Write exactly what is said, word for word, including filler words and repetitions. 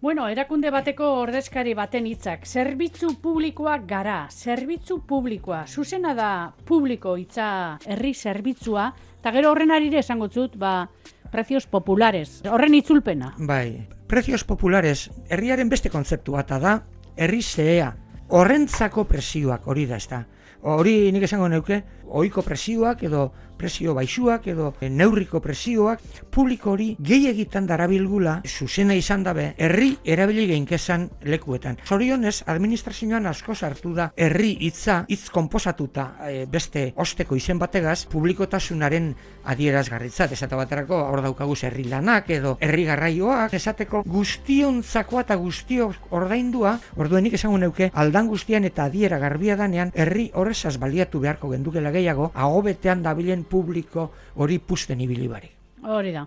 Bueno, erakunde bateko ordezkari baten hitzak, zerbitzu publikoak gara, zerbitzu publikoa, zuzena da publiko hitza herri zerbitzua, eta gero horren arire esango zut, ba, precios populares, horren itzulpena. Bai, precios populares, herriaren beste kontzeptu bat da, herri zehea, horrentzako presioak, hori da, ez da. Hori nik esango neuke, ohiko presioak edo presio baixuak edo neurriko presioak publiko hori gehiegitan darabilgula zuzena izan dabe herri erabili geinkezan lekuetan. Zorionez, administrazioan asko sartu da herri hitza hitz konposatuta e, beste osteko izen bategaz publikotasunaren adierazgarritzat. Esate baterako hor daukagu herri lanak edo herri garraioak, esateko guztiontzakoa eta guztiok ordaindua, orduenik esango neuke aldan guztian eta adiera garbia danean herri horrezaz baliatu beharko gendukela gehiago, agobetean dabilen publiko hori pusten ibili barik. Hori da.